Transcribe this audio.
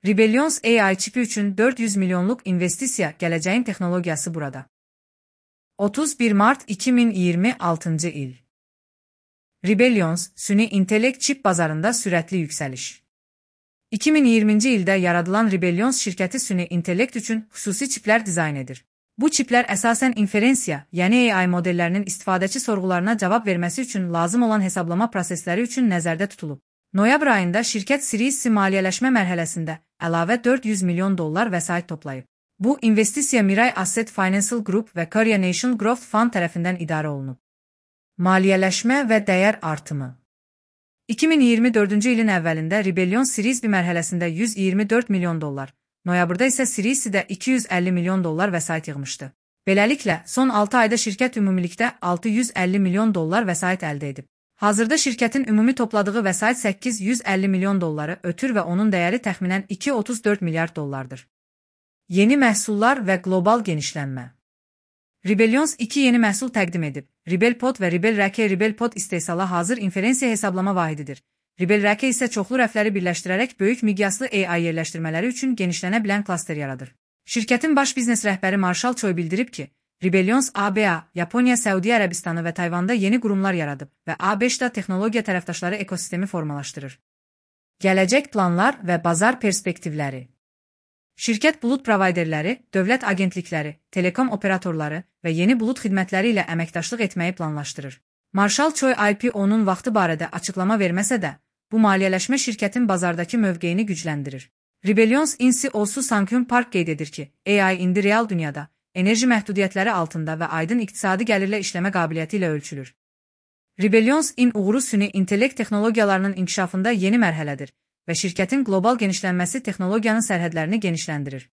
Rebellions AI çipi üçün 400 milyonluq investisiya, gələcəyin texnologiyası burada. 31 Mart 2026 il. Rebellions, süni intellekt çip bazarında sürətli yüksəliş. 2020-ci ildə yaradılan Rebellions şirkəti süni intellekt üçün xüsusi çiplər dizayn edir. Bu çiplər əsasən inferensiya, yəni AI modellərinin istifadəçi sorğularına cavab verməsi üçün lazım olan hesablama prosesləri üçün nəzərdə tutulub. Noyabr ayında şirkət Series C maliyyələşmə mərhələsində əlavə $400 milyon vəsait toplayıb. Bu, investisiya Mirai Asset Financial Group və Korea Nation Growth Fund tərəfindən idarə olunub. Maliyyələşmə və dəyər artımı. 2024-cü ilin əvvəlində Rebellions Series B mərhələsində $124 milyon, noyabrda isə Series C-də $250 milyon vəsait yığmışdı. Beləliklə, son 6 ayda şirkət ümumilikdə $650 milyon vəsait əldə edib. Hazırda şirkətin ümumi topladığı vəsait $850 milyon ötür və onun dəyəri təxminən $234 milyard. Yeni məhsullar və qlobal genişlənmə. Rebellions 2 yeni məhsul təqdim edib. RebelPod və RebelRake. RebelPod istehsala hazır inferensiya hesablama vahididir. RebelRake isə çoxlu rəfləri birləşdirərək böyük miqyaslı AI yerləşdirmələri üçün genişlənə bilən klaster yaradır. Şirkətin baş biznes rəhbəri Marshall Choi bildirib ki, Rebellions ABA, Yaponiya, Səudiyyə Ərəbistanı və Tayvanda yeni qurumlar yaradıb və A5-da texnologiya tərəfdaşları ekosistemi formalaşdırır. Gələcək planlar və bazar perspektivləri. Şirkət bulud provayderləri, dövlət agentlikləri, telekom operatorları və yeni bulud xidmətləri ilə əməkdaşlıq etməyi planlaşdırır. Marshall Choi IPO-nun vaxtı barədə açıqlama verməsə də, bu maliyyələşmə şirkətin bazardakı mövqeyini gücləndirir. Rebellions CEO-su Sang-Hyun Park qeyd edir ki, AI indi real dünyada, enerji məhdudiyyətləri altında və aydın iqtisadi gəlirlə işləmə qabiliyyəti ilə ölçülür. Rebellions uğuru süni intellekt texnologiyalarının inkişafında yeni mərhələdir və şirkətin qlobal genişlənməsi texnologiyanın sərhədlərini genişləndirir.